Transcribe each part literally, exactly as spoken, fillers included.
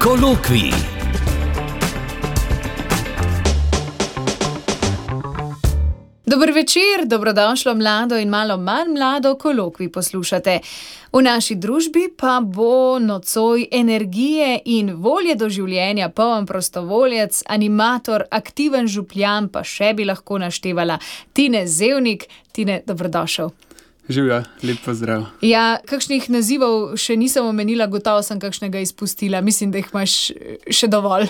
Kolokvij. Dober večer, dobrodošlo mlado in malo manj mlado kolokvij poslušate. V naši družbi pa bo nocoj energije in volje do življenja poln prostovoljec, animator, aktiven župljan, pa še bi lahko naštevala Tine Zevnik. Tine, dobrodošel. Živja, lep pozdrav. Ja, kakšnih nazivov še nisem omenila, gotovo sem kakšnega izpustila. Mislim, da jih imaš še dovolj.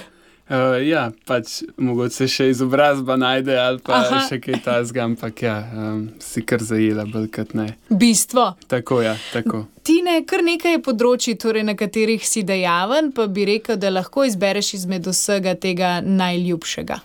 Uh, ja, pač mogoče še izobrazba najde ali pa Aha. še kaj tazga, ampak ja, um, si kar zajela bolj kot ne. Bistvo. Tako, ja, tako. Tine, kar nekaj področji, torej na katerih si dejaven, pa bi rekel, da lahko izbereš izmed vsega tega najljubšega.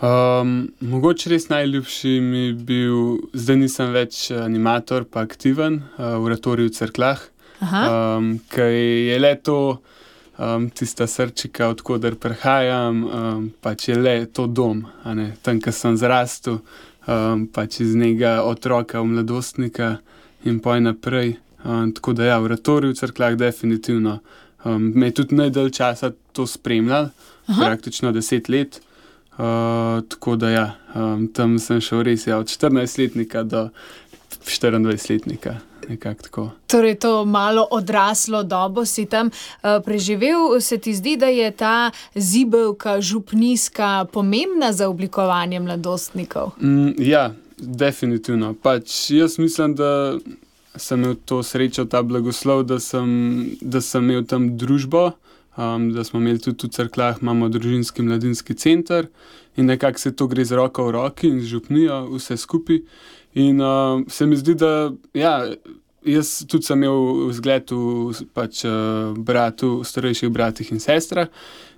Um, mogoče res najljubši mi bil, zdaj nisem več animator, pa aktiven uh, v oratoriju v Cerkljah, um, ker je le to um, tista srčika, odkoder prihajam, um, pač je le to dom, a ne, tam, kjer sem zrastel, um, pač iz njega otroka v mladostnika in poj naprej. Um, tako da ja, v oratoriju v Cerkljah definitivno. Um, me je tudi najdalj časa to spremljal, Aha. praktično deset let. Uh, tako da ja, um, tam sem šel res ja, od štirinajstletnika do štiriindvajsetletnika, nekako tako. Torej to malo odraslo dobo si tam uh, preživel. Se ti zdi, da je ta zibelka župnijska pomembna za oblikovanje mladostnikov? Mm, ja, definitivno. Pač jaz mislim, da sem imel to srečo, ta blagoslov, da sem, da sem imel tam družbo. Um, da smo imeli tudi v Cerkljah, imamo družinski mladinski center in nekako se to gre z roko v roki in z župnijo vse skupaj. In uh, se mi zdi, da ja, jaz tudi sem imel vzgled v pač, uh, bratu, starejših bratih in sestrah,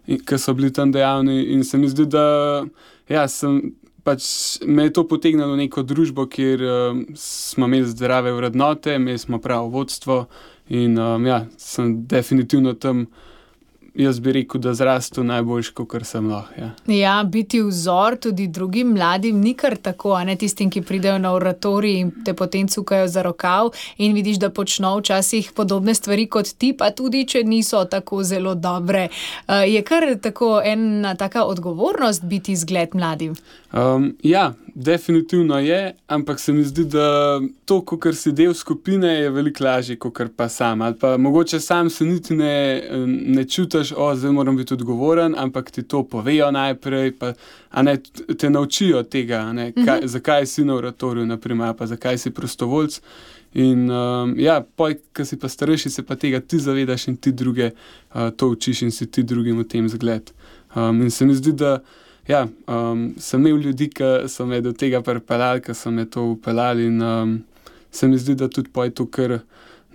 ki so bili tam dejavni in se mi zdi, da ja, sem, pač, me je to potegnilo v neko družbo, kjer uh, smo imeli zdrave vrednote, imeli smo pravo vodstvo in um, ja, sem definitivno tam. Jaz bi rekel, da zrastu najboljši, kakor sem lahko. Ja. ja, biti vzor tudi drugim mladim ni kar tako, a ne tistim, ki pridejo na oratorij in te potem cukajo za rokav in vidiš, da počno včasih podobne stvari kot ti, pa tudi, če niso tako zelo dobre. Uh, je kar tako ena taka odgovornost biti zgled mladim? Um, ja, definitivno je, ampak se mi zdi, da to, kakor si del skupine, je veliko lažje, kakor pa sam. Ali pa mogoče sam se niti ne, ne čutiš, o, zdaj moram biti odgovoren, ampak ti to povejo najprej, pa a ne, te naučijo tega, a ne, kaj, uh-huh. zakaj si na oratoriju, naprimer, pa zakaj si prostovoljc. In um, ja, poj, ko si pa starejši, se pa tega ti zavedaš in ti druge uh, to učiš in si ti drugim v tem zgled. Um, in se mi zdi, da ja, um, sem imel ljudi, ki so me do tega pripeljali, ki so me to upeljali in um, se mi zdi, da tudi poj to, kar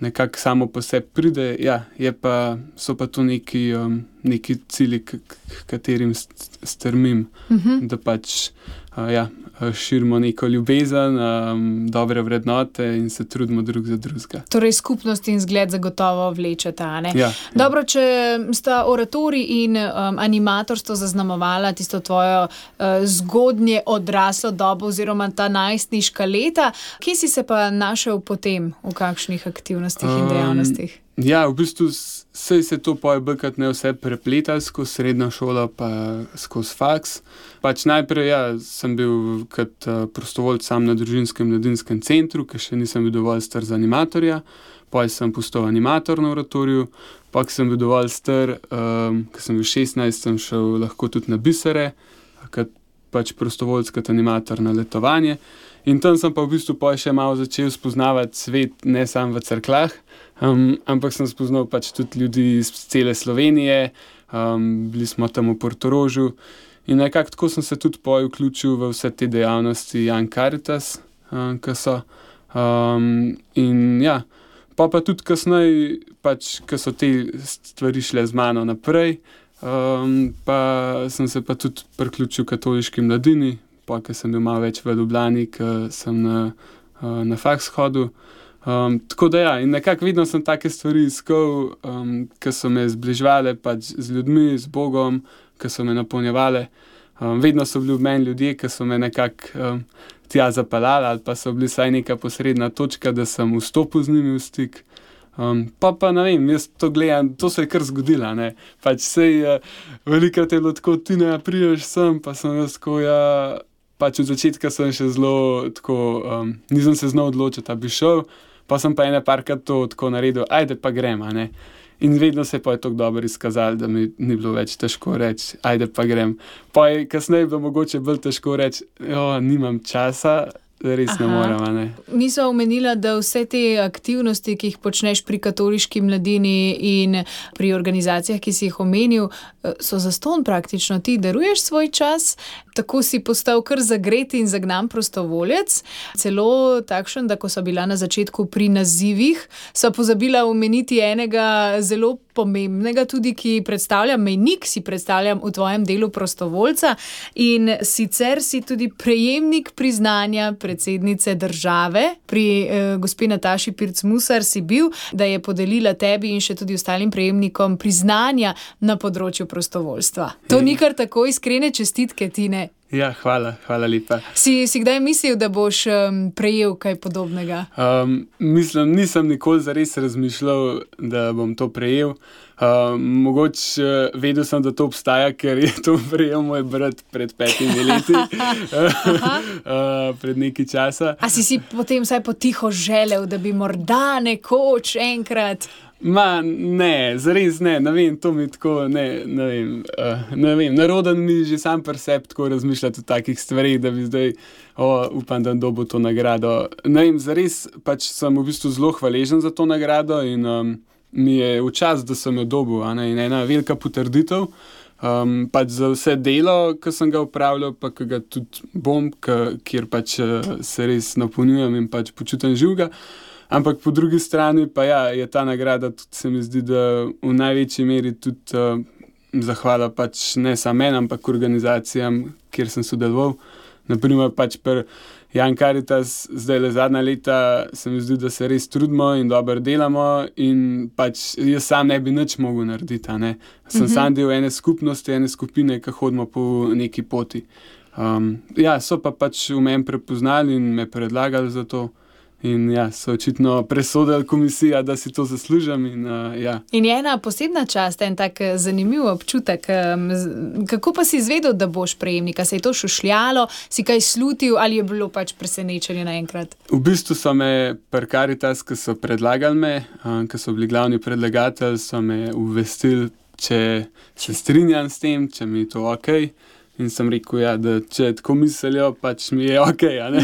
nekako samo po sebi pride, ja, je pa, so pa to neki, um, neki cilji, k, k katerim strmim, uh-huh. da pač uh, ja, širimo neko ljubezen, um, dobre vrednote in se trudimo drug za drugega. Torej skupnost in zgled zagotovo vlečeta, ne? Ja, Dobro, ja. če sta oratorij in um, animatorstvo zaznamovala tisto tvojo uh, zgodnje odraslo dobo oziroma ta najstniška leta, kje si se pa našel potem, v kakšnih aktivnostih um, in dejavnostih? Ja, v bistvu sej se to poje bkrat ne vse prepletali skozi srednjo šolo pa skozi faks. Pač najprej ja, sem bil kot uh, prostovoljc sam na družinskem mladinskem centru, ker še nisem bil dovolj star za animatorja. Poj sem postal animator na oratoriju, pa ko sem bil dovolj star, um, ko sem bil šestnajst, sem šel lahko tudi na bisere, kot pač prostovoljc, kot animator na letovanje. In tam sem pa v bistvu poj še malo začel spoznavati svet, ne samo v Cerkljah, um, ampak sem spoznal pač tudi ljudi iz cele Slovenije, um, bili smo tam v Portorožu in nekako tako sem se tudi poj vključil v vse te dejavnosti Young Caritas, um, ki so. Um, in ja, pa pa tudi kasneje, pač, ko so te stvari šle z mano naprej, um, pa sem se pa tudi priključil katoliški mladini, pa ko sem bil malo več v Ljubljani, ko sem na, na faks hodil. Um, tako da ja, in nekako vedno sem take stvari iskal, um, ki so me zbližvale pač z ljudmi, z Bogom, ki so me napolnjevale. Um, vedno so bili v meni ljudje, ki so me nekako um, tja zapeljali ali pa so bili vsaj neka posredna točka, da sem vstopil z njimi v stik. Um, pa pa ne vem, jaz to gledam, to se je kar zgodilo, ne. Pač sej, uh, velikokrat je bilo tako, ti ne prideš sem, pa sem jaz tako, ja, pač od začetka sem še zelo tako, um, nisem se znal odločiti, a bi šel, pa sem pa ene parkrat to tako naredil, ajde pa grem, a ne. In vedno se pa je tako dobro izkazalo, da mi ni bilo več težko reči, ajde pa grem. Pa je kasneje bilo mogoče bolj težko reči, jo, nimam časa, res ne morem, a ne. Nisva omenila, da vse te aktivnosti, ki jih počneš pri Katoliški mladini in pri organizacijah, ki si jih omenil, so zastonj praktično. Ti daruješ svoj čas, tako si postal kar zagret in zagnan prostovoljec, celo takšen, da ko so bila na začetku pri nazivih, sva pozabila omeniti enega zelo pomembnega tudi, ki predstavlja mejnik, si predstavljam v tvojem delu prostovoljca, in sicer si tudi prejemnik priznanja predsednice države. Pri eh, gospe Nataši Pirc Musar si bil, da je podelila tebi in še tudi ostalim prejemnikom priznanja na področju prostovoljstva. To ni kar tako, iskrene čestitke, Tine. Ja, hvala, hvala lepa. Si, si kdaj mislil, da boš um, prejel kaj podobnega? Um, mislim, nisem nikoli zares razmišljal, da bom to prejel. Um, mogoče vedel sem, da to obstaja, ker je to prejel moj brat pred petimi leti, uh, pred nekaj časa. A si si potem vsaj potiho želel, da bi morda nekoč enkrat... Ma, ne, zares ne, ne vem, to mi tako, ne, ne vem, uh, ne vem, naroden mi že sam pri sebi tako razmišljati o takih stvarih, da bi zdaj, o, upam, da dobil to nagrado. Ne vem, zares pač sem v bistvu zelo hvaležen za to nagrado in um, mi je v čast, da sem jo dobil, a ne, in ena velika potrditev, um, pač za vse delo, ki sem ga upravljal, pa ki ga tudi bom, k, kjer pač uh, se res napolnjujem in pač počutim živega. Ampak po drugi strani pa ja, je ta nagrada tudi, se mi zdi, da v največji meri tudi uh, zahvala pač ne samo meni, ampak organizacijam, kjer sem sodeloval. Naprimer pač pri Young Caritas, zdaj le zadnja leta, se mi zdi, da se res trudimo in dobro delamo in pač jaz sam ne bi nič mogel narediti, a ne. Sem mm-hmm. sam del ene skupnosti, ene skupine, ki hodimo po neki poti. Um, ja, so pa pač v meni prepoznali in me predlagali za to. In ja, so očitno presodili komisija, da si to zaslužim. In, uh, ja. in je ena posebna čast, en tak zanimiv občutek. Kako pa si izvedel, da boš prejemnik? Se je to šušljalo, si kaj slutil ali je bilo pač presenečenje naenkrat? V bistvu so me pri Caritas, ki so predlagali me, uh, ki so bili glavni predlagatelj, so me obvestili, če se strinjam s tem, če mi je to okej. In sem rekel, ja, da če tako mislijo, pač mi je okej, a ne.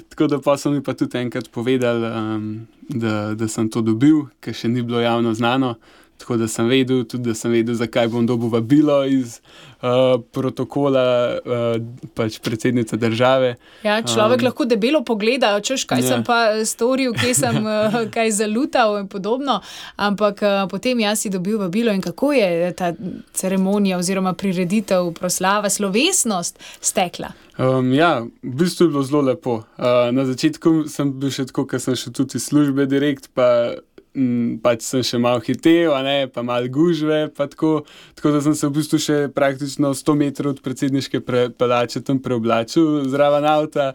Tako da pa so mi pa tudi enkrat povedali, um, da, da sem to dobil, ker še ni bilo javno znano. Tako da sem vedel, tudi da sem vedel, zakaj bom dobil vabilo iz uh, protokola uh, pač predsednice države. Ja, človek um, lahko debelo pogleda, češ, kaj ja. sem pa storil, kje sem uh, kaj zalutal in podobno, ampak uh, potem jaz si dobil vabilo in kako je ta ceremonija oziroma prireditev, proslava, slovesnost stekla? Um, ja, v bistvu je bilo zelo lepo. Uh, na začetku sem bil še tako, ker sem šel tudi iz službe direkt, pa pač sem še malo hitel, a ne, pa malo gužve, pa tako, tako da sem se v bistvu še praktično sto metrov od predsedniške palače tam preoblačil zraven avta,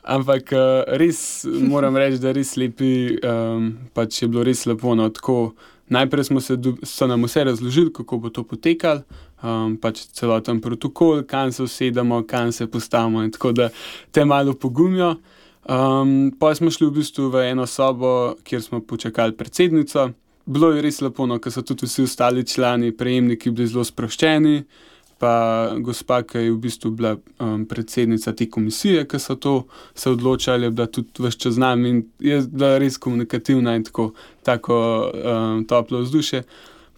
ampak res moram reči, da res lepi, um, pač je bilo res lepo, no, tako, najprej smo se, so nam vse razložili, kako bo to potekalo, um, pač celoten protokol, kam se usedemo, kam se postavimo in tako da te malo pogumijo. Um, pa smo šli v bistvu v eno sobo, kjer smo počakali predsednico. Bilo je res lepo, no, ker so tudi vsi ostali člani, prejemniki bili zelo sproščeni, pa gospa, ki je v bistvu bila um, predsednica te komisije, ki so to se odločali, je bila tudi ves čas z nami in je bila res komunikativna in tako, tako um, toplo vzdušje.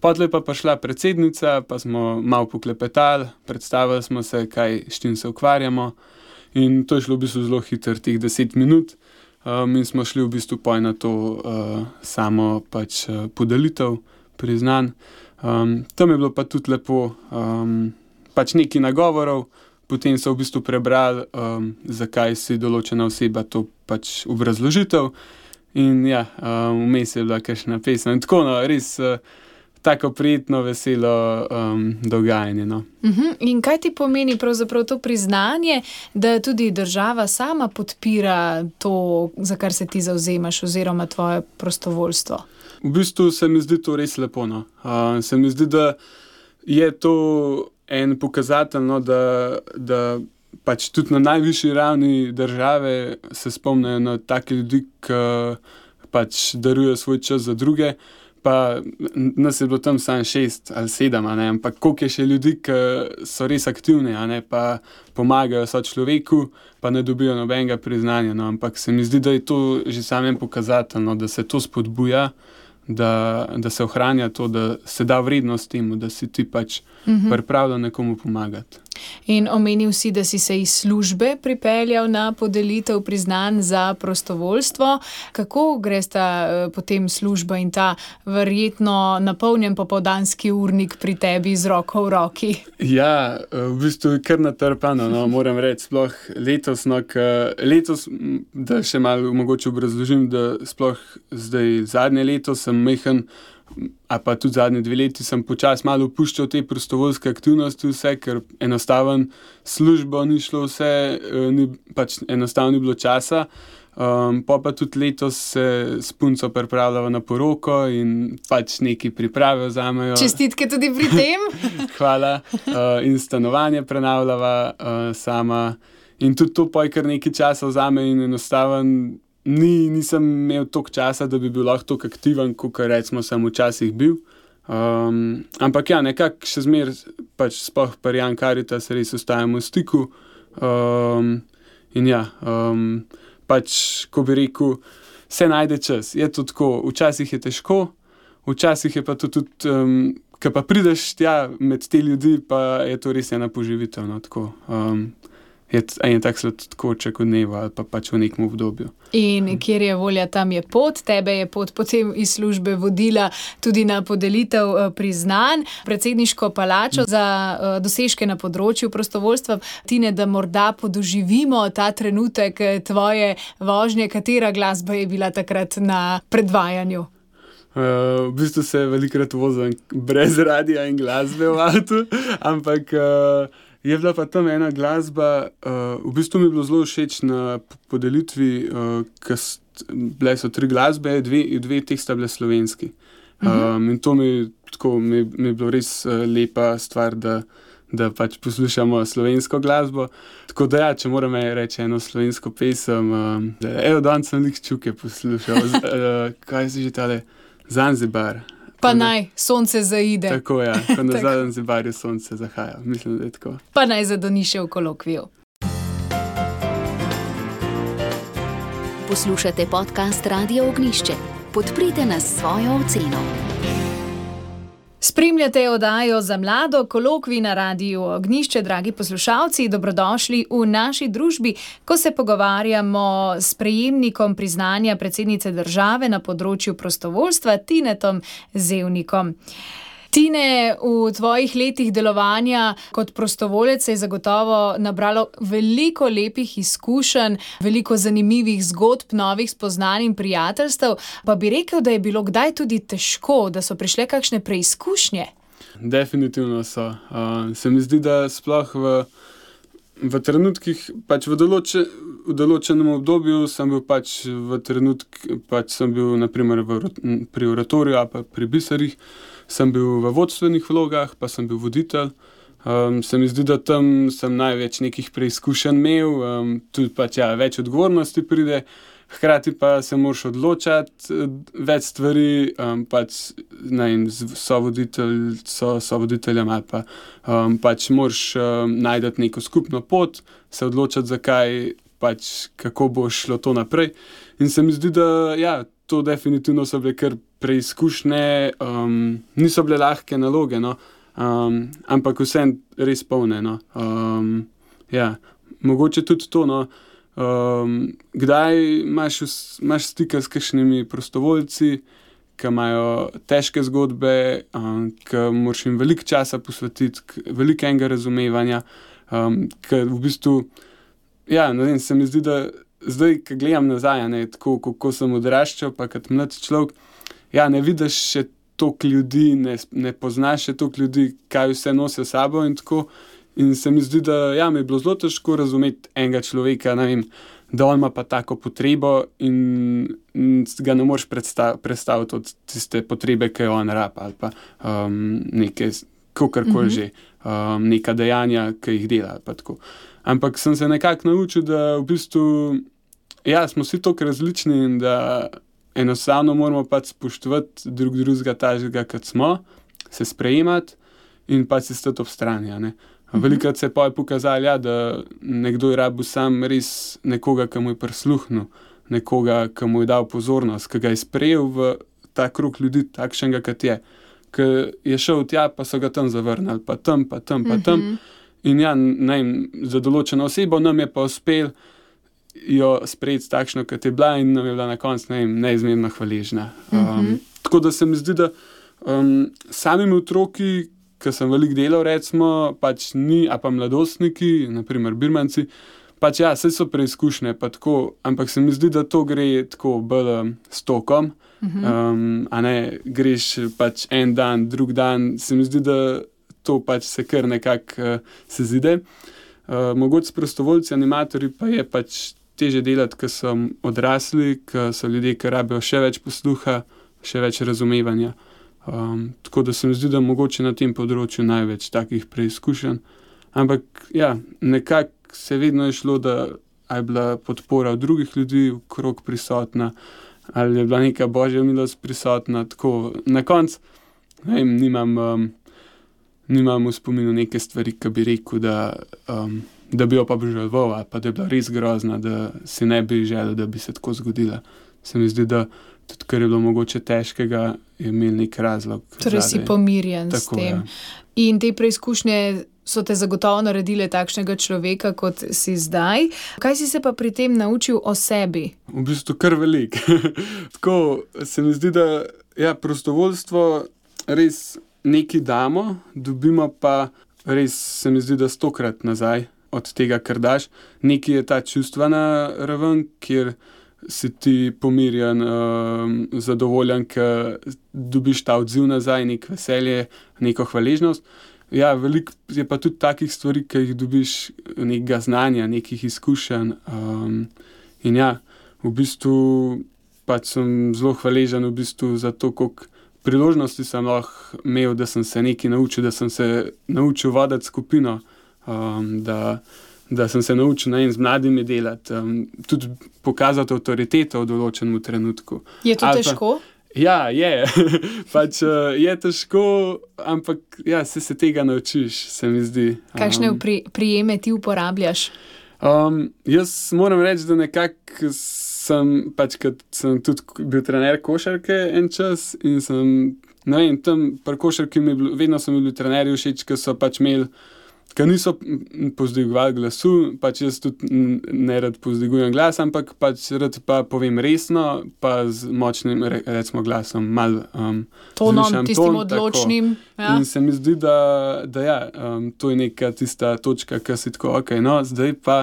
Potlej pa prišla predsednica, pa smo malo poklepetali, predstavili smo se, kaj, s čim se ukvarjamo. In to je šlo v bistvu zelo hitro, teh deset minut, um, in smo šli v bistvu poj na to uh, samo pač uh, podelitev priznanj. Um, tam je bilo pa tudi lepo, um, pač nekaj nagovorov, potem so v bistvu prebrali, um, zakaj si določena oseba to pač obrazložitev in ja, um, vmes je bila kakšna pesem in tako, no, res uh, tako prijetno, veselo um, dogajanje. No. Uh-huh. In kaj ti pomeni pravzaprav to priznanje, da tudi država sama podpira to, za kar se ti zavzemaš, oziroma tvoje prostovoljstvo? V bistvu se mi zdi to res lepo. No. Uh, se mi zdi, da je to en pokazatelj, no, da, da pač tudi na najvišji ravni države se spomnijo na take ljudi, ki pač darujejo svoj čas za druge. Pa nas je bilo tam samo šest ali sedem, a ne, ampak koliko je še ljudi, ki so res aktivni, a ne, pa pomagajo sočloveku, pa ne dobijo nobenega priznanja, no, ampak se mi zdi, da je to že samo en pokazatelj, no, da se to spodbuja, da, da se ohranja to, da se da vrednost temu, da si ti pač uh-huh. pripravljen nekomu pomagati. In omenil si, da si se iz službe pripeljal na podelitev priznanj za prostovoljstvo. Kako gre sta potem služba in ta verjetno napolnjen popoldanski urnik pri tebi z roko v roki? Ja, v bistvu je kar natrpano, no, moram reči, sploh letos, no, letos, da še malo mogoče obrazložim, da sploh zdaj zadnje leto sem mehen, a pa tudi zadnje dve leti sem počas malo opuščal te prostovoljske aktivnosti vse, ker enostaven službo ni šlo vse, ni, pač enostavno ni bilo časa. Um, pa pa tudi letos se s punco pripravljava na poroko in pač neki priprave vzamejo. Čestitke tudi pri tem. Hvala. Uh, in stanovanje prenavljava uh, sama. In tudi to pa je kar nekaj časa vzame in enostaven Ni, nisem imel toliko časa, da bi bil lahko toliko aktiven, kot recimo sem včasih bil. Um, ampak ja, nekako še zmer, pač sploh pri Young Caritas res ostajamo v stiku. Um, in ja, um, pač, ko bi rekel, se najde čas. Je to tako, včasih je težko, včasih je pa to tudi, um, ko pa prideš tja med te ljudi, pa je to res ena poživitev, no, tako. Um, je en tak sladkoček od dneva ali pa pač v nekem obdobju. In kjer je volja, tam je pot. Tebe je pot potem iz službe vodila tudi na podelitev priznanj, predsedniško palačo za dosežke na področju prostovoljstva. Tine, da morda podoživimo ta trenutek tvoje vožnje, katera glasba je bila takrat na predvajanju? Uh, v bistvu se velikokrat vozim brez radia in glasbe v avtu, ampak uh, je bila pa tam ena glasba, uh, v bistvu mi je bilo zelo všeč na podelitvi, uh, ker bile so tri glasbe, dve, dve teh sta bile slovenski. Um, in to mi, tako, mi, mi je bilo res uh, lepa stvar, da, da pač poslušamo slovensko glasbo. Tako da ja, če moram reči eno slovensko pesem, um, da evo, danes sem lik Čuke poslušal, z, uh, kaj si že tale, Zanzibar. Pa naj sonce zaide. Tako je, ja, ko na Zanzibarju sonce zahaja. Mislim, da je tako. Pa naj zadoni še v kolokviju. Poslušate podcast Radio Ognjišče. Podprite nas s svojo oceno. Spremljate oddajo Za mlado, kolokvij na Radiu Ognjišče. Dragi poslušalci, dobrodošli v naši družbi, ko se pogovarjamo s prejemnikom priznanja predsednice države na področju prostovoljstva, Tinetom Zevnikom. Tine, v tvojih letih delovanja kot prostovoljec se je zagotovo nabralo veliko lepih izkušenj, veliko zanimivih zgodb, novih spoznanj in prijateljstev. Pa bi rekel, da je bilo kdaj tudi težko, da so prišle kakšne preizkušnje? Definitivno so. Uh, se mi zdi, da sploh v, v trenutkih, pač v, določe, v določenem obdobju sem bil pač v trenutk, pač sem bil naprimer v, pri oratoriju ali pa pri biserih, sem bil v vodstvenih vlogah, pa sem bil voditelj. Um, se mi zdi, da tam sem največ nekih preizkušenj imel, um, tudi pač ja, več odgovornosti pride, hkrati pa se moraš odločati več stvari, um, pač ne vem, so voditelj, so, so voditeljem ali pa um, pač moraš um, najti neko skupno pot, se odločati, zakaj, pač kako bo šlo to naprej. In se mi zdi, da ja, to definitivno so bile kar preizkušnje, um, niso bile lahke naloge, no, um, ampak vsem res polne, no. Um, ja, mogoče tudi to, no, um, kdaj imaš, imaš stika s kakšnimi prostovoljci, ki imajo težke zgodbe, um, ki moraš jim veliko časa posvetiti, veliko enega razumevanja, um, ki v bistvu, ja, ne vem, se mi zdi, da zdaj, ko gledam nazaj, ne, tako, kako sem odraščal, pa kot mlad človek, ja, ne vidiš še toliko ljudi, ne, ne poznaš še toliko ljudi, kaj vse nosijo s sabo in tako. In se mi zdi, da ja, mi je bilo zelo težko razumeti enega človeka, ne vem, da on ima pa tako potrebo in ga ne moreš predstav, predstaviti od tiste potrebe, ki jo on rapa, ali pa um, neke, kakorkoli mm-hmm. že, um, neka dejanja, ki jih dela, ali pa tako. Ampak sem se nekako naučil, da v bistvu, ja, smo vsi toliko različni in da enostavno moramo pač spoštovati drug drugega tažega, kot smo, se sprejemati in pač se stati ob strani, a ne. Velikrat se je pa pokazalo, ja, da nekdo je rabil sam res nekoga, ki mu je prisluhnil, nekoga, ki mu je dal pozornost, ki ga je sprejel v ta krog ljudi, takšnega, kot je. Ki je šel tja, pa so ga tam zavrnili, pa tam, pa tam, pa tam. Mm-hmm. In ja, ne vem, za določeno osebo nam je pa uspel jo sprejeti takšno, kot je bila in nam je bila na koncu, ne vem, neizmerno hvaležna. Um, mm-hmm. Tako da se mi zdi, da um, samimi otroki, ki sem veliko delal, recimo, pač ni, a pa mladostniki, naprimer birmanci, pač ja, vse so preizkušnje, pa tako, ampak se mi zdi, da to gre tako bolj um, s tokom, uh-huh. um, a ne greš pač en dan, drug dan, se mi zdi, da to pač se kar nekako uh, se zide. Uh, mogoče s prostovoljci, animatorji pa je pač teže delati, ker so odrasli, ker so ljudje, ki rabijo še več posluha, še več razumevanja. Um, tako da se mi zdi, da mogoče na tem področju največ takih preizkušenj. Ampak ja, nekako se vedno je šlo, da je bila podpora od drugih ljudi okrog prisotna, ali je bila neka božja milost prisotna. Tako, na koncu, ne vem, nimam, um, nimam v spominu neke stvari, ki bi rekel, da, um, da bi jo pa obžaloval, ali pa da je bila res grozna, da si ne bi želel, da bi se tako zgodila. Se mi zdi, da tudi, ker je bilo mogoče težkega, je imel nek razlog. Torej si pomirjen s tem. Ja. In te preizkušnje so te zagotovo naredile takšnega človeka, kot si zdaj. Kaj si se pa pri tem naučil o sebi? V bistvu kar veliko. Tako se mi zdi, da ja, prostovoljstvo res nekaj damo, dobimo pa res, se mi zdi, da stokrat nazaj od tega, kar daš. Nekaj je ta čustvena raven, kjer si ti pomirjen, um, zadovoljen, ker dobiš ta odziv nazaj, nek veselje, neko hvaležnost. Ja, veliko je pa tudi takih stvari, ki jih dobiš, nekega znanja, nekih izkušenj. Um, in ja, v bistvu pač sem zelo hvaležen v bistvu za to, koliko priložnosti sem lahko imel, da sem se nekaj naučil, da sem se naučil voditi skupino, um, da da sem se naučil na en z mladimi delati, um, tudi pokazati avtoriteto v določenem trenutku. Je to Ali težko? Pa, ja, je. pač uh, je težko, ampak ja, se se tega naučiš, se mi zdi. Kakšne um, pri, prijeme ti uporabljaš? Um, jaz moram reči, da nekako sem, pač kad sem tudi bil trener košarke en čas in sem, ne vem, tam pri košarki mi bil, vedno so mi bili trenerji všeč, ki so pač imeli, ki niso povzdigovali glasu, pač jaz tudi ne rad povzdigujem glas, ampak pač rad pa povem resno, pa z močnim, recimo, glasom, malo um, tonom, tistim ton, odločnim. Ja. In se mi zdi, da, da ja, um, to je neka tista točka, ki si tako, ok, no, zdaj pa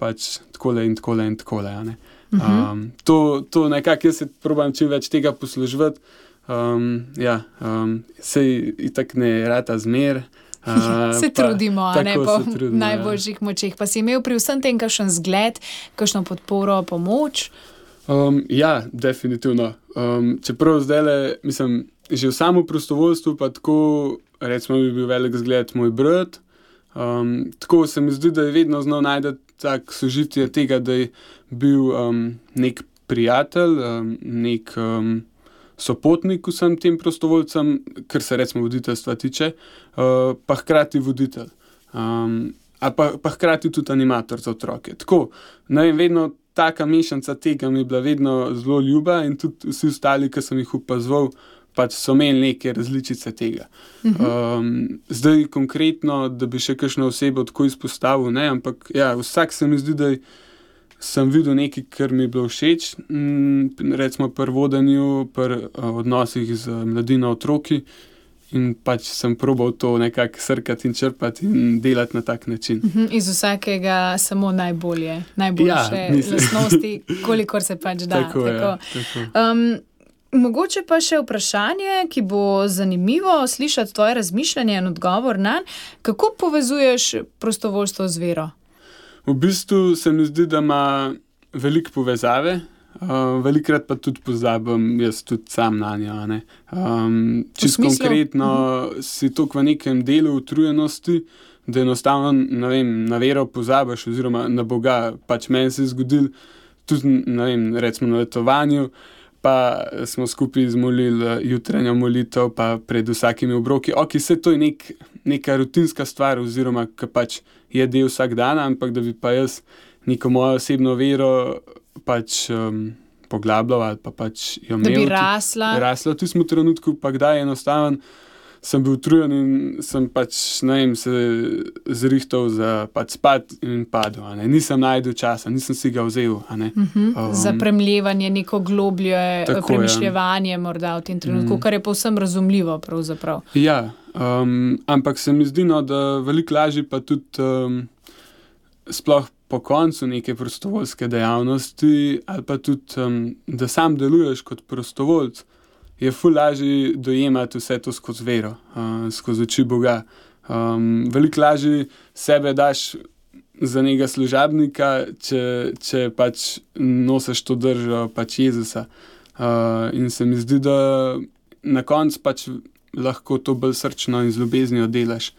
pač takole in takole in takole, ja, ne. Um, to, to nekako jaz se probam čim več tega posluževati, um, ja, um, sej itak ne rata zmer, Uh, se pa, trudimo, a ne po trudimo, najboljših ja. močeh. Pa si imel pri vsem tem kakšen zgled, kakšno podporo, pomoč? Um, ja, definitivno. Um, čeprav zdajle, mislim, že v samo prostovoljstvu pa tako, recimo, bi bil velik zgled moj brat. Um, tako se mi zdi, da je vedno znal najti tak sožitje tega, da je bil um, nek prijatelj, um, nek um, sopotnik vsem tem prostovoljcem, kar se recimo voditeljstva tiče, uh, pa hkrati voditelj. Um, a pa, pa hkrati tudi animator za otroke. Tako, ne vem, vedno taka mešanca tega mi je bila vedno zelo ljuba in tudi vsi ostali, ki sem jih opazoval, pač so imeli neke različice tega. Um, zdaj konkretno, da bi še kakšno osebo tako izpostavil, ne, ampak ja, vsak se mi zdi, da je sem videl nekaj, kar mi je bilo všeč, recimo pri vodenju, pri odnosih z mladino, otroki, in pač sem probal to nekako srkati in črpati in delati na tak način. Uh-huh. Iz vsakega samo najbolje, najboljše ja, lastnosti, kolikor se pač da. Tako, tako. Ja, tako. Um, Mogoče pa še vprašanje, ki bo zanimivo slišati tvoje razmišljanje in odgovor nanj. Kako povezuješ prostovoljstvo z vero? V bistvu se mi zdi, da ima veliko povezave, uh, velikokrat pa tudi pozabim jaz tudi sam nanjo. Um, čisto konkretno uh-huh. si toliko v nekem delu utrujenosti, da enostavno ne vem, na vero pozabiš oziroma na Boga. Pač meni se je zgodilo tudi, ne vem, recimo na letovanju, pa smo skupaj zmolili jutranjo molitev, pa pred vsakimi obroki. Ok, vse to je nek, neka rutinska stvar oziroma, ki pač je del vsak dan, ampak da bi pa jaz neko mojo osebno vero pač um, poglabljal ali pa pač jo imel. Da bi rasla. Rasla v tistem trenutku, pa kdaj enostavno sem bil utrujen in sem pač, ne vem, se zrihtal za pač spat in padel. A ne. Nisem najdel časa, nisem si ga vzel. A ne. Uh-huh. Um, za premljevanje, neko globlje tako, premišljevanje morda v tem trenutku, mm. kar je povsem razumljivo pravzaprav. Ja, um, ampak se mi zdi, no, da veliko lažje pa tudi um, sploh po koncu neke prostovoljske dejavnosti ali pa tudi, um, da sam deluješ kot prostovoljc, je ful lažje dojemati vse to skozi vero, uh, skozi oči Boga. Um, veliko lažje sebe daš za nekega služabnika, če, če pač nosiš to držo pač Jezusa. Uh, in se mi zdi, da na koncu pač lahko to bolj srčno in z ljubeznijo delaš,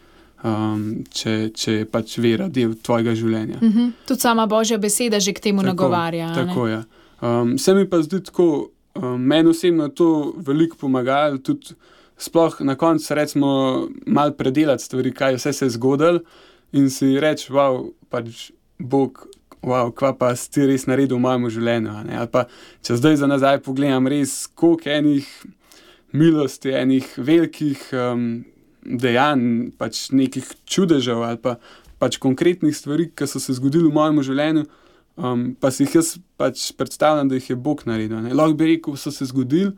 um, če, če je pač vera del tvojega življenja. Uh-huh. Tudi sama Božja beseda že k temu tako, nagovarja. Tako je. Ja. Um, se mi pa zdi tako, Um, meni osebno je to veliko pomagalo, tudi sploh na koncu recimo malo predelati stvari, kaj vse se je zgodilo in si reči, wow, pač Bog, wow, kva pa si ti res naredil v mojem življenju. Ali pa, če zdaj za nazaj pogledam res, koliko enih milosti, enih velikih um, dejanj, pač nekih čudežev ali pa pač konkretnih stvari, ki so se zgodili v mojem življenju, Um, pa si jih jaz pač predstavljam, da jih je Bog naredil. Ne. Lahko bi rekel, so se zgodili,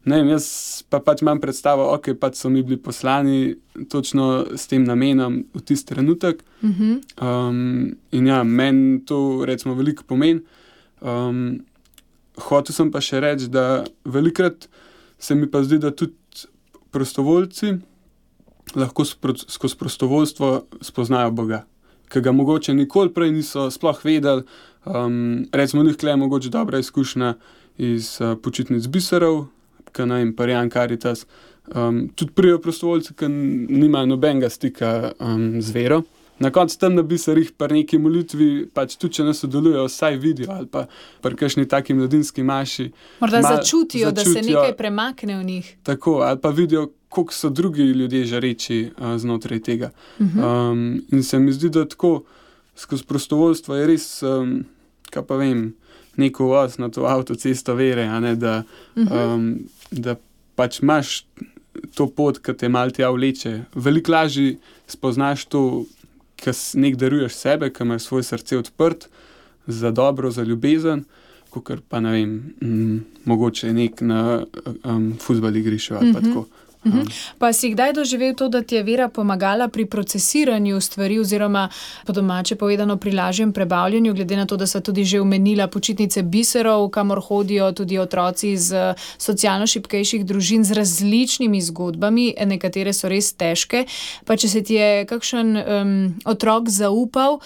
ne vem, jaz pa pač imam predstavo, ok, pač so mi bili poslani točno s tem namenom v tisti trenutek. Uh-huh. Um, in ja, meni to recimo veliko pomeni. Um, hotel sem pa še reči, da velikokrat se mi pa zdi, da tudi prostovoljci lahko skozi prostovoljstvo spoznajo Boga, ki ga mogoče nikoli prej niso sploh vedeli. Um, recimo, njih je mogoče dobra izkušnja iz uh, počitnic biserov, ki naj jim Parijan Karitas. Um, tudi prijo prostovoljci, ki nimajo nobenega stika um, z vero. Na koncu tam na biserih pa neki molitvi, pač tudi če ne sodelujo, vsaj vidijo ali pa pri kakšni taki mladinski maši. Morda mal, začutijo, začutijo, da se nekaj premakne v njih. Tako, ali pa vidijo, koliko so drugi ljudje žareči uh, znotraj tega. Uh-huh. Um, in se mi zdi, da tako skozi prostovoljstvo je res, um, kaj pa vem, neko voz na to avtocesto vere, a ne, da, uh-huh. um, da pač imaš to pot, ki te malo tja vleče. Veliko lažje spoznaš to, ki nek daruješ sebe, ki imaš svoje srce odprt za dobro, za ljubezen, kakor pa ne vem, m, mogoče nek na um, fuzbal igrišču ali pa uh-huh. tako. Um. Pa si kdaj doživel to, da ti je vera pomagala pri procesiranju stvari oziroma po domače povedano pri lažjem prebavljanju, glede na to, da sva tudi že omenila počitnice biserov, kamor hodijo tudi otroci iz socialno šibkejših družin z različnimi zgodbami, nekatere so res težke, pa če se ti je kakšen um, otrok zaupal,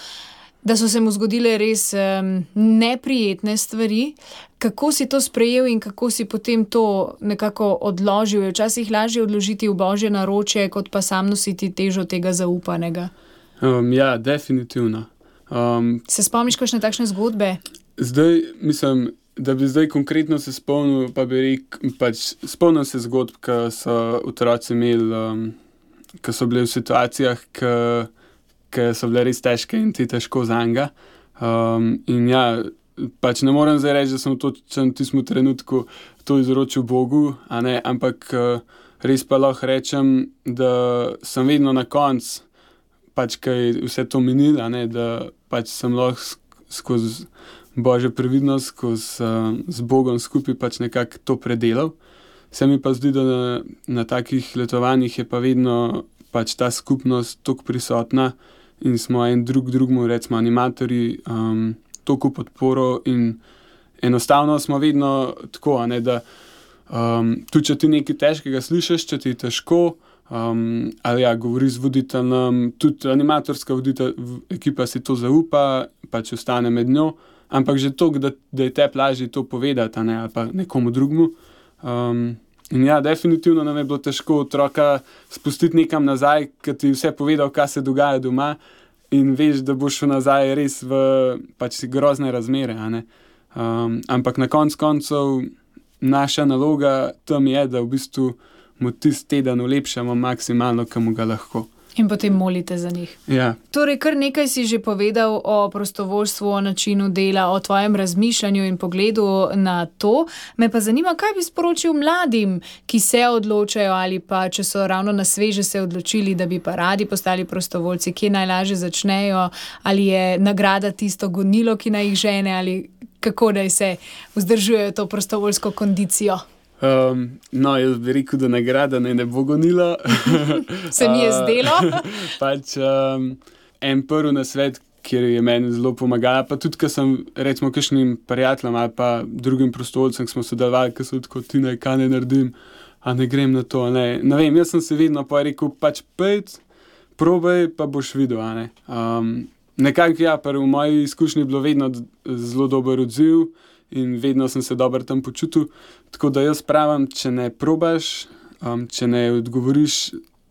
da so se mu zgodile res um, neprijetne stvari, kako si to sprejel in kako si potem to nekako odložil? Je včasih lažje odložiti v Božje naročje, kot pa sam nositi težo tega zaupanega? Um, ja, definitivno. Um, se spomniš kakšne takšne zgodbe? Zdaj, mislim, da bi zdaj konkretno se spomnil, pa bi rekel, pač spomnil se zgodb, ki so otroci imeli, um, ki so bili v situacijah, ki ki so bile res težke in ti težko zanga. Um, in ja, pač ne morem zdaj reči, da sem v tistem trenutku to izročil Bogu, a ne, ampak uh, res pa lahko rečem, da sem vedno na koncu, pač kaj vse to minil, a ne, da pač sem lahko skozi Božjo previdnost, skozi uh, z Bogom skupaj pač nekako to predelal. Se mi pa zdi, da na, na takih letovanjih je pa vedno pač ta skupnost toliko prisotna, in smo en drug drugmu, recimo animatorji, um, toliko podporo in enostavno smo vedno tako, a ne, da Um, tudi, če ti nekaj težkega slišiš, če ti je težko, um, ali ja, govori z voditeljem, tudi animatorska voditelj, ekipa si to zaupa, pa če ostane med njo, ampak že to, da, da je te lažje to povedati, ne, ali pa nekomu drugmu. Um, in ja, definitivno nam je bilo težko otroka spustiti nekam nazaj, ker ti vse povedal, kaj se dogaja doma in veš, da boš šel nazaj res v pač grozne razmere, a ne. Um, ampak na konc koncev naša naloga tam je, da v bistvu mu tisti teden ulepšamo maksimalno, kam ga lahko. In potem molite za njih. Ja. Torej, kar nekaj si že povedal o prostovoljstvu, o načinu dela, o tvojem razmišljanju in pogledu na to. Me pa zanima, kaj bi sporočil mladim, ki se odločajo ali pa, če so ravno na sveže se odločili, da bi pa radi postali prostovoljci, kje najlažje začnejo, ali je nagrada tisto gonilo, ki naj jih žene, ali kako naj se vzdržujejo to prostovoljsko kondicijo. Um, no, jaz bi rekel, da nagrada ne, ne bo gonila. Se mi je zdelo. pač um, en prvi nasvet, kjer je meni zelo pomagala, pa tudi, ker sem recimo kakšnim prijateljem ali pa drugim prostovoljcem, ki smo sodelovali, ki so tako, ti naj kaj ne naredim, a ne grem na to, ne. Ne vem, jaz sem se vedno pa rekel, pač pejt, probaj, pa boš videl, a ne. Um, nekako ja, pa v moji izkušnji je bilo vedno zelo dober odziv, in vedno sem se dobro tam počutil. Tako da jaz pravim, če ne probaš, um, če ne odgovoriš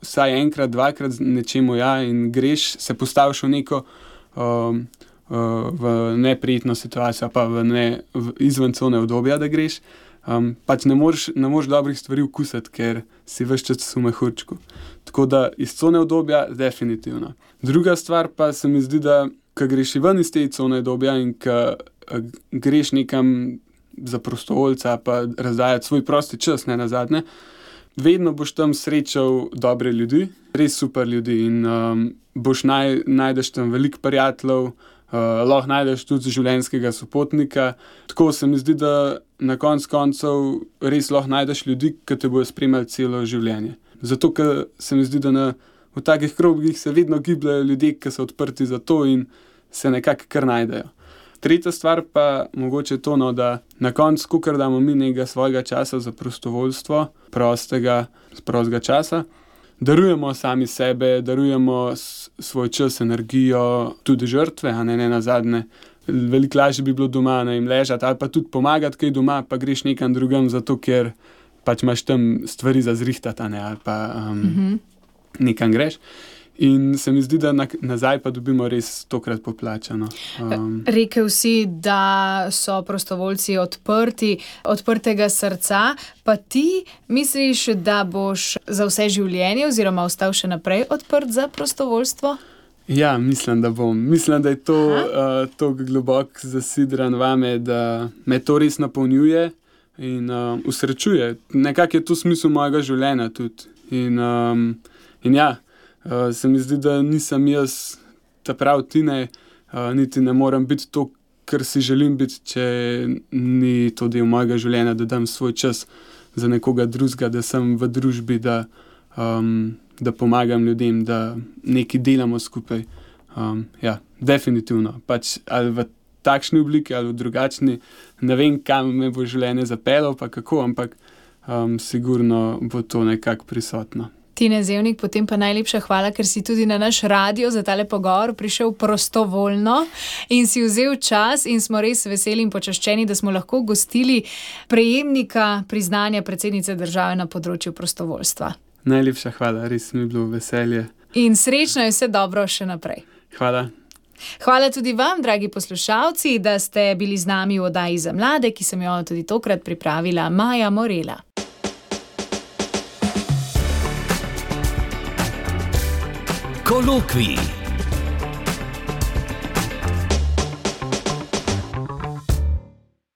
vsaj enkrat, dvakrat nečemu ja in greš, se postaviš v neko um, uh, v neprijetno situacijo, pa v ne, v izven cone obdobja, da greš, um, pač ne moreš, ne moreš dobrih stvari vkusiti, ker si ves čas v mehurčku. Tako da iz cone obdobja definitivno. Druga stvar pa se mi zdi, da ko greš ven iz te cone obdobja in ko greš nekam za prostovoljca pa razdajati svoj prosti čas, ne nazadnje, vedno boš tam srečal dobre ljudi, res super ljudi in um, boš naj, najdeš tam veliko prijateljev, uh, lahko najdeš tudi življenjskega sopotnika. Tako se mi zdi, da na konc koncev res lahko najdeš ljudi, ki te bojo spremljali celo življenje. Zato, ker se mi zdi, da na, v takih krogih se vedno gibljajo ljudje, ki so odprti za to in se nekako kar najdejo. Tretja stvar pa mogoče to, no, da na koncu, kakor damo mi nekega svojega časa za prostovoljstvo, prostega, prostega časa, darujemo sami sebe, darujemo svoj čas, energijo, tudi žrtve, a ne, ne nazadnje. Veliko lažje bi bilo doma, ne jim ležati ali pa tudi pomagati kaj doma, pa greš nekam drugam, zato ker pač imaš tam stvari za zrihtati, a ne, ali pa um, mm-hmm. nekam greš. In se mi zdi, da na, nazaj pa dobimo res tokrat poplačano. Um. Rekel si, da so prostovoljci odprti, odprtega srca, pa ti misliš, da boš za vse življenje oziroma ostal še naprej odprt za prostovoljstvo? Ja, mislim, da bom. Mislim, da je to uh, tako globoko zasidran vame, da me to res napolnjuje in uh, usrečuje. Nekako je to smisel mojega življenja tudi. In, um, in ja, Uh, se mi zdi, da nisem jaz ta prav Tine, uh, niti ne morem biti to, kar si želim biti, če ni to del mojega življenja, da dam svoj čas za nekoga drugega, da sem v družbi, da, um, da pomagam ljudem, da nekaj delamo skupaj. Um, ja, definitivno. Pač ali v takšni obliki ali v drugačni, ne vem, kam me bo življenje zapeljalo, pa kako, ampak um, sigurno bo to nekako prisotno. Tine Zevnik, potem pa najlepša hvala, ker si tudi na naš radio za tale pogovor prišel prostovoljno in si vzel čas in smo res veseli in počaščeni, da smo lahko gostili prejemnika priznanja predsednice države na področju prostovoljstva. Najlepša hvala, res mi je bilo veselje. In srečno je vse dobro še naprej. Hvala. Hvala tudi vam, dragi poslušalci, da ste bili z nami v oddaji za mlade, ki sem jo tudi tokrat pripravila Maja Morela. Kolokvij.